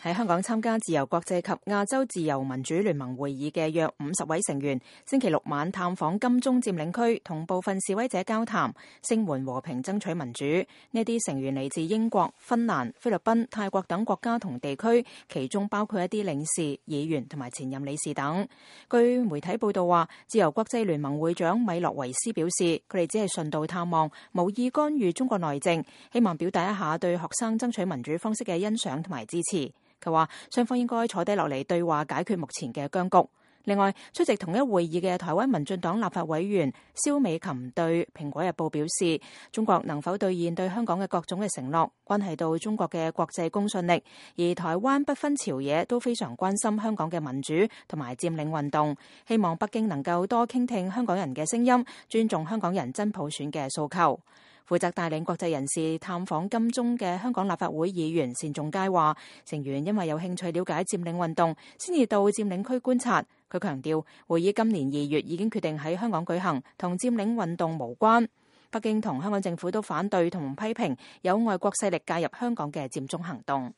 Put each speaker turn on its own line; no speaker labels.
喺香港參加自由國際及亞洲自由民主聯盟會議嘅約50位成員，星期六晚探訪金鐘佔領區，同部分示威者交談，聲援和平爭取民主。呢啲成員嚟自英國、芬蘭、菲律賓、泰國等國家同地區，其中包括一啲領事、議員同埋前任理事等。據媒體報道話，自由國際聯盟會長米洛維斯表示，佢哋只係順道探望，無意干預中國內政，希望表達一下對學生爭取民主方式嘅欣賞同埋支持。佢話雙方應該坐低落嚟對話，解決目前嘅僵局。另外，出席同一會議嘅台灣民進黨立法委員蕭美琴對《蘋果日報》表示，中國能否兌現對香港嘅各種嘅承諾，關係到中國嘅國際公信力。而台灣不分朝野都非常關心香港嘅民主同埋佔領運動，希望北京能夠多傾聽香港人嘅聲音，尊重香港人真普選嘅訴求。負責帶領國際人士探訪金鐘嘅香港立法會議員單仲偕話，成員因為有興趣了解佔領運動，先至到佔領區觀察。佢強調，會議今年2月已經決定喺香港舉行，同佔領運動無關。北京同香港政府都反對同批評有外國勢力介入香港嘅佔中行動。